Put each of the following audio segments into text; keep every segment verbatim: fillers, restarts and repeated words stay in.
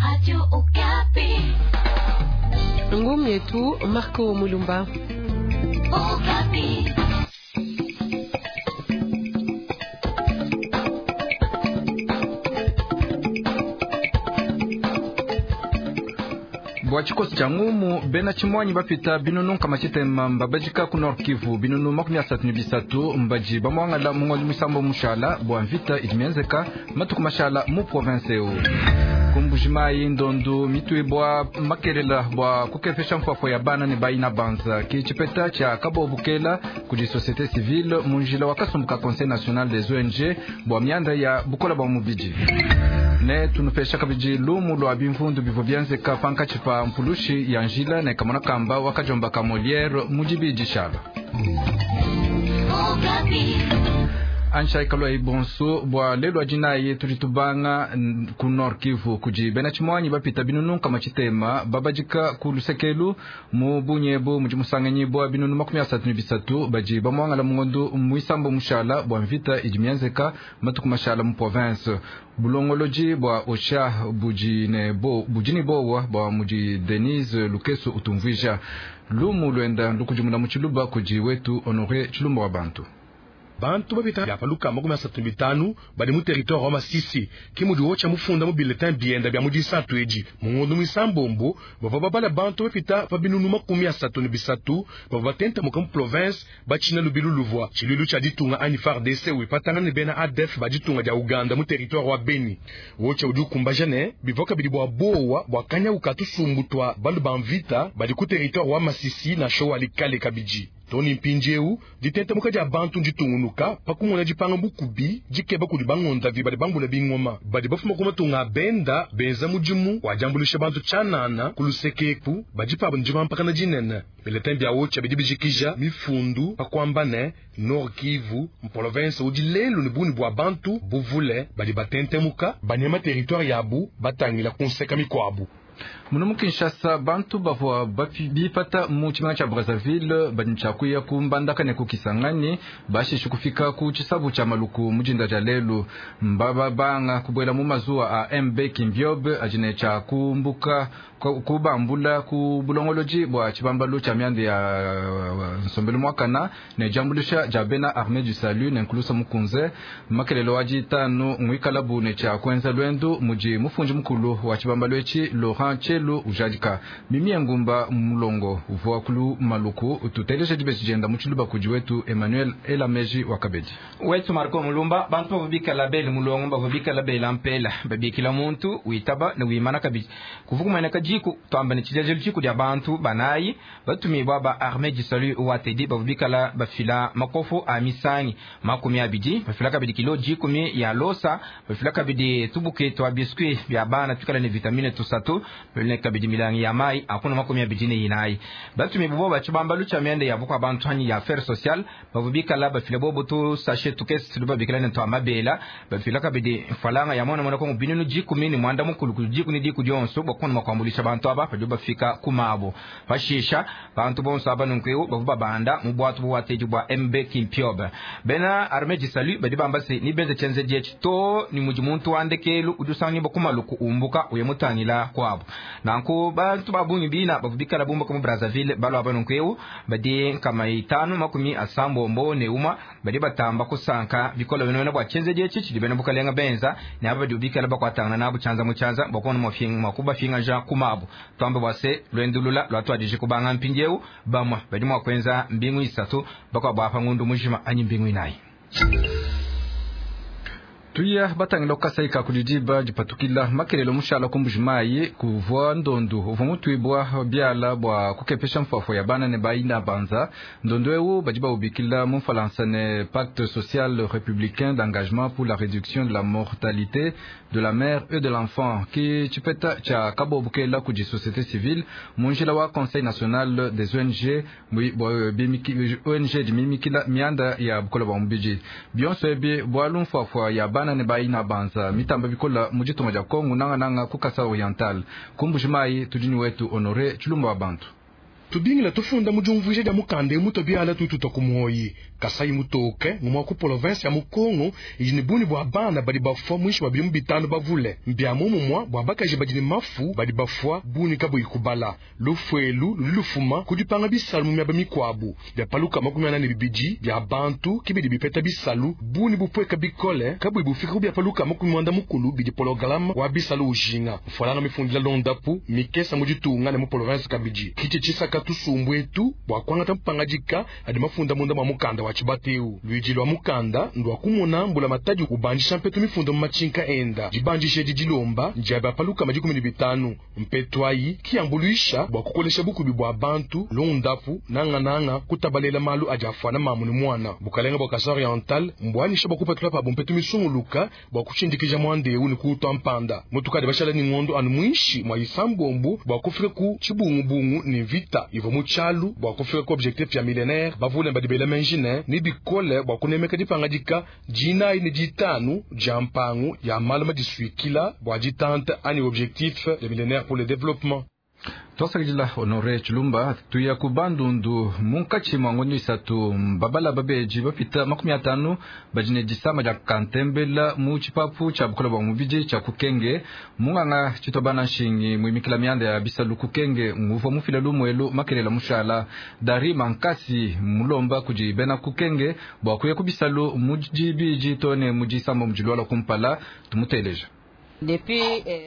Radio Okapi. Ngumu yetu Marco Mulumba. Okapi. Bua tshikoso tshia ngumu bena tshimuanyi bapita binunu nkama tshitema mbabadika ku Nord Kivu binunu makumi asatu ne bisatu mbaji bamuangala mu ngondo musambo mushala bua mvita idi mienzeka matuku mashala mu province eu ku Mbujimayi ndondu mituibwa makelela bua kukepesha mfuafua ya bana ne bayina banza ki tshipeta tshia kabobukela kudi société civile mu njila wa kasumbu ka Conseil national des O N G bua mianda ya bukola bua mubidi ne tunupesha kabidi lumu lwa bimvundu bivua bienzeka pankatshi pa mpulushi ya njila ne kamona kamba wakajomba ka Molière mu dibidi shala. Ansha ikalwa ibonso bua lelu adinayi tudi tubanga ku Nord Kivu kudi bena tshimuanyi bapita binunu nkama tshitema babadika ku lusekelu mu bunyebu mudi musanganyibwa binunu makumi asatu ne bisatu badi bamuangala mu ngondo muisambo mushala bua mvita idi mienzeka matuku mashala mu province bulongolodi bua Osha budi ne bo budi ne bowa bua mudi Denise Lukeso utumvuija lumu lwenda lukudimuna mu tshiluba kudi wetu Honoré Tshilumba wa bantu. Bantu babita bya paluka makumi asatu ne bitanu badi mu territoire wa Masisi ki mudi wocha mufunda mu bulletin bienda bya mu disatu edi mu ngondo muisambombo bavua babala bantu bapita pa binunu makumi asatu ne bisatu bavua batenta muka mu province batshina lubilu luvua tshiluilu tshia ditunga anyi F A R D C wipatangana ne bena A D F ba ditunga dia Uganda mu territoire wa Beni. Wocha udi ukumbaja ne bivua kabidi bua bowa bua kanyauka tusumbu twa balu ba mvita badi ku territoire wa Masisi na show alikale kabidi. Tony Mpindieu ditenta muka dia bantu nditungunuka pakumona dipanga bukubi dikeba kudi bangonda vi badi bambula bingoma badi bafuma ku matunga benda benza mudimu wa diambuluisha bantu tshianana ku lusekeku badi pabo ndimampakana dinene bulletin bia wocha bidi bijikija mifundu pakuamba ne Nord Kivu province udi lelu ne buni bua bantu buvule badi batentemuka banyema territoire yabu batangila kunseka mikwabu. Muno mu Kinshasa bantu bavua bipata mu tshimenga tshia Brazzaville badi tshiakuya ku Mbandaka ne ku Kisangani bashishe kufika ku tshisabu tshia Maluku mu dinda dia lelu mbaba banga kubuela mu mazuwa a M B Kimbiobe adi ne tshia kumbuka kubambula ku bulongolodi bua tshibambalu tshia mianda ya nsombelu muakana ne diambuluisha dia bena Armée du Salut ne nkulusa mukunze makelelo wa ditanu ngwikalabu ne tshia kuenza lwendu mudi mufundi mukulu wa tshibambalu etshi Laurent Chelu ujadika mimi ngumba mulongo uvua kulu Maluku tuteleje dibeji dienda mu tshiluba kudi wetu Emmanuel Elameji wa Kabedi wetu Marco Mulumba bantu bavubika bele mulongo bavubika bele ampela babikila muntu witaba ne wimana kabidi kuvukumana kajiku twamba ne tshijajelu tshiku dia bantu banayi batumibwa ba Armée du Salut wa T D bavubikala bafila makofu a misangi makumi abidi bafila kabidi kilo jikumi ya losa bafila kabidi tubuke twa biscuit bya bana tukala ne vitamine tusatu bene kabidi milangi ya mai akuna makumi abidi ne inayi batumibwa ba tshibambalu tshia mianda ya bukwa bantu hanyi ya affaires sociales bavubikala bafila bobo tu sachet tukesi babikala ne twa mabela bafila kabidi falanga ya mwana mwana kongo binunu jikumi ni mwanda mukulu kujikuni diku dionso bokona makwambulisha bantu aba padi bafika kumabo pashisha bantu bonso aba nunkweu bavuba banda mu bwatu bwateji bwa M B Kimpiobe bena Armée du Salut badi bamba se ni benze chenze jechi to ni muji muntu wandekelu udusangi bokumaluku umbuka uye mutangila kwabo nanku bantu babungi bina bavubikala bumba mu Brazzaville balo aba nunkweu badi nkama itanu makumi asambombo ne uma badi batamba kusanka bikola bino bwa chenze jechi chidi bena bukalenga benza ne aba badi ubikala bakwatangana nabo chanza mu chanza bokona mwafinga mwakuba finga ja kumabo twambe bwase lwendulula lwatwadije kubanga mpindieu bamwa badi mwakwenza mbingu isatu bakwa bwapa ngundu mujima anyi mbingu inayi. Tuya batangila kukasaika kudidiba dipatukila makelelo mushala ku Mbujimayi kuvua ndondu uvua mutuibwa biala bua kukepesha mfuafua ya bana ne bayina banza ndondu eu badi baubikila mu Mfalansa ne pacte social républicain d'engagement pour la réduction de la mortalité de la mère et de l'enfant ki tshipeta tshia kabobukela kudi société civile mu njila wa Conseil national des O N G O N G dimimikila mianda ya bukola bua mubidi bionso ebi bualu mfuafua ya bana ne bayina banza mitamba bikola mu ditunga dia Kongo nanga nanga ku Kasai Oriental ku Mbujimayi tudi ni wetu Honoré Tshilumba wa bantu. Tubingila tufunda mu diumvuija dia mukanda emu tubiala tututa ku muoyi Kasai mutoke ngumwa ku province ya Mukongo idi ne bungi bua bana badi bafua muinshi mwa bidimu bitanu bavule mbia momumwa bua bakaji badi ne mafu badi bafua bungi kabuyi kubala lufuelu ludi lufuma ku dipanga bisalu mu miaba mikuabu bia paluka makumi ana ne bibidi bia bantu kibidi bipeta bisalu bungi bupweka bikole kabuyi bufika ku bia paluka makumi mwanda mukulu bidi programme wa bisalu ujinga mfualanga mifundila londapu mikesa mu ditunga ne mu province kabidi kichi chisaka tusumbu etu bua kuangata mpangadika adi mafunda munda mwa mukanda wa chibateu luidi lwa mukanda ndwa kumona mbula matadi ubandisha mpetu mifundo mu machinka enda dibandisha edi dilomba ndiaba paluka madikumi ne bitanu mpetu ayi kiyambuluisha bua kukolesha bukubi bua bantu londapu nangananga kutabalela malu adi afuana mamu ne mwana bukalenga bua Kasai Oriental mbwanisha bua kupatula pabo mpetu misunguluka bua kushindikija mwandeu ne kutwa mpanda mutukadi bashala ni ngondo anu mwinshi mwa isambombu bua kufika ku chibungubungu ni vita ivo muchalu bua kufika ku objectif ya millénaire bavule badibela menjine ni bikole bua kunemeka dipangadika dinayi ne ditanu dia mpangu ya malu madisuikila bua ditanta ani objectif ya millénaire pour le développement. Twasakidila Honore Chilumba tuya ku Bandundu munkatshi mwa ngondo isatu babala babeji bapita makumi atanu badi ne disama dia kantembela mu tshipapu tshia bukola bua mubidi tshia kukenge munganga tshitobana nshingi muimikila mianda ya bisalu kukenge nguvua mufila lumuelu makelela mushala dari mankasi mulomba kudi bena kukenge bua kuya ku bisalu mu dibidi to ne mu disamba mu dilwala kumpala tumuteleja.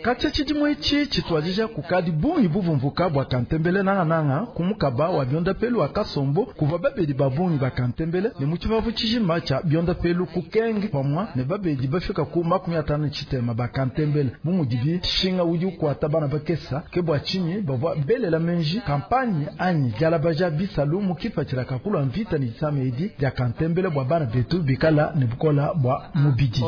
Katya tshidimu etshi tshituadija kukadi bungi buvumvuka bua kantembele nangananga kumukaba wa biondapelu wa kasombo kuvua babedi ba bungi ba kantembele ne mu tshipapu tshijima tshia biondapelu kukenge pamua ne babedi bafika ku makumi atanu ne tshitema ba kantembele bu mudibi shinga udi ukuata bana bakesa ke bua tshinyi bavua belela menji kampanye anyi dialabaja bisalu mu kipatshila kakulua mvita ne disama edi dia kantembele bua bana betu bikala ne bukola bua mubidi.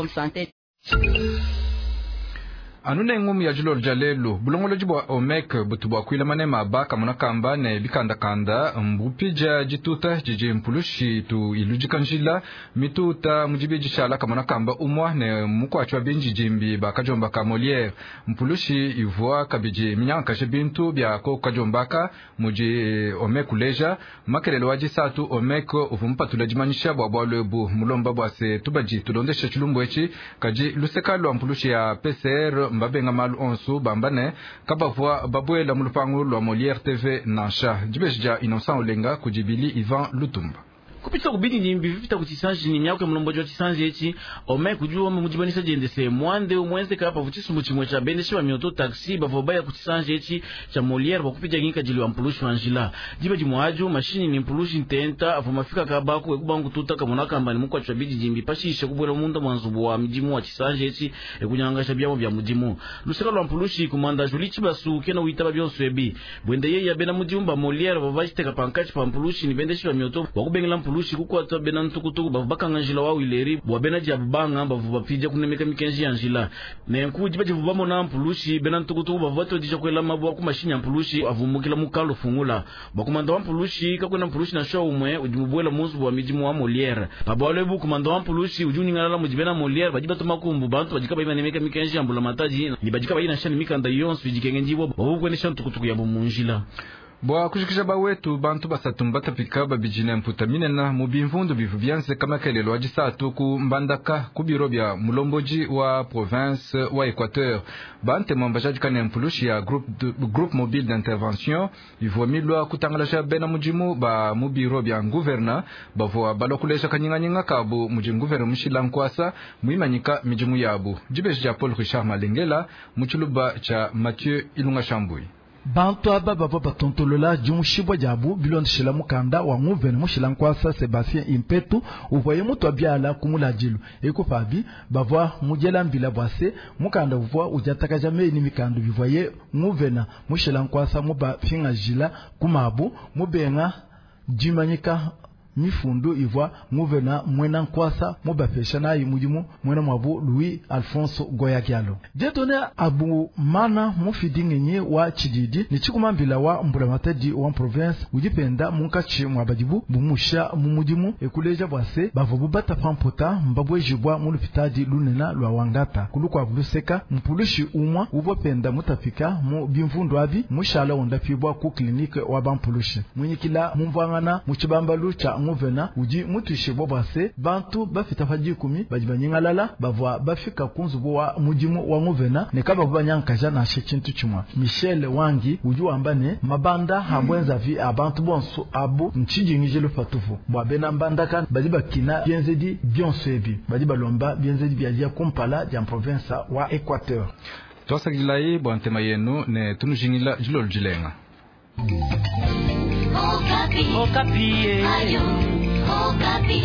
Anu ngumu ya dilolo dia lelu bulongolodi bua OMEC butu bua kuila manema baka munakamba ne bikandakanda mbupija dituta didi mpulushi tu iludika njila mituta mudibidi tshiala kamunakamba umwa ne mukuatshi wa binji dimbi bakajombaka Molière mpulushi ivua kabidi minyankashe bintu bia ko kajombaka mudi OMEC uleja makelelo wa disatu OMEC uvua mupatula dimanyisha bua bualu ebu mulomba bua se tubadi tulondesha tshilumbu etshi kadi luseka lua mpulushi ya P C R mbabenga malu onsu bamba ne kabavua babuela mu lupangu lua Molière T V nansha dibeji dia Innocent Olenga kudibili Ivan Lutumba. Kupita kubidi nyimbi vipita kutisanji ni myako mulomboji wa tisanji echi ome kujuwa mujibanisa jendese mwande umwenze kapa vuchisumbu chimwe cha bendeshe wa mioto taxi bavobaya ya kutisanji echi cha Molière bakupija nginka jili wa mpulushi wa njila jiba jimwaju mashini ni mpulushi ntenta afu mafika kabaku ekubangu tuta kamona kamba ni mukwa cha bidi jimbi pashishe kubwela munda mwanzubu wa mijimu wa tisanji echi ekunyangasha byamo bya mujimu luseka lwa mpulushi kumanda juli chibasu kena uitaba byonso ebi bwende yeye bena mujumba Molière bavajiteka pankachi pa mpulushi ni bendeshe wa mioto wakubengela mpulushi kukwata bena ntukutuku bavu bakanga njila wa wileri bwa bena dia banga bavu bapija kunemeka mikenji ya njila nenku diba divu bamona mpulushi bena ntukutuku bavu batodija kwela mabwa ku mashinya mpulushi avumukila mukalo fungula bakumanda wa mpulushi kakwena mpulushi na shwa umwe udi mubwela muzu wa midimu wa Molière pabwalo ebu kumanda wa mpulushi udi uningalala mudi bena Molière badi batuma kumbu bantu badika bayimanemeka mikenji ya mbula mataji ni badika bayina shani mikanda yonso idikengenjibwa bavu kwenesha ntukutuku yabo munjila. Bua kushikisha bawetu bantu basatu mbatapika babidi ne mputa minena mu bimvundu bivu byanze kamakelelo adisatu ku Mbandaka ku biro bya mulomboji wa province wa Equateur bantemo mbajadika ne mpulushi ya groupe, de, groupe mobile d'intervention ivua milwa kutangalasha bena mudimu ba mu biro bya gouverneur bavua balwa kulesha kanyinganyinga kabu mudi gouverneur mushila nkwasa muimanyika midimu yabu dibeji dia Paul Richard Malengela mu tshiluba tshia Mathieu Ilunga Shambui. Bantu aba bavua batontolola dimushibwa diabu bilondeshela mukanda wa nguvene mushila nkwasa Sebastien Impetu uvuaye mutu abiala kumuladilu ekupabi bavua mujela mbila bwase mukanda uvua ujatakaja meyi ni mikandu bivuaye nguvena mushila nkwasa muba pingajila kumabu mubenga dimanyika mifundu ivwa nguvena mwena nkwasa mubapesha nayi mudimu mwena mwabu Louis Alfonso Goyagialo. Dieudonné Abu mana mufidi ngenyi wa chididi ni chikumambila wa mbulamatadi wa province ujipenda munkachi mwa badibu bumusha mu mudimu ekuleja bwase bavo bubata pampota mbabwejibwa mu lupitadi lunena lwa wangata kulukwa buluseka mpulushi umwa ubopenda mutapika mu bimvundu abi mushala ondapibwa ku klinike wa bampulushi munyikila mumvwangana mu chibambalu cha nguvena uji mutushibwa bwase bantu bafita pa dikumi badi banyingalala bavwa bafika kunzubu wa mudimu wa nguvena ne kaba banyankaja na tshintu chimwa. Michel Wangi uji wamba ne mabanda habwenza vi abantu bonso abu nchijingije lupatufu bwa bena mbandaka badi bakina bienzedi bionso ebi badi balomba bienzedi bya kumpala dia province wa Equateur. Twasakilayi bwa ntema yenu ne tunujingila jilolo jilenga. Okapi. Okapi. Ayo, Okapi.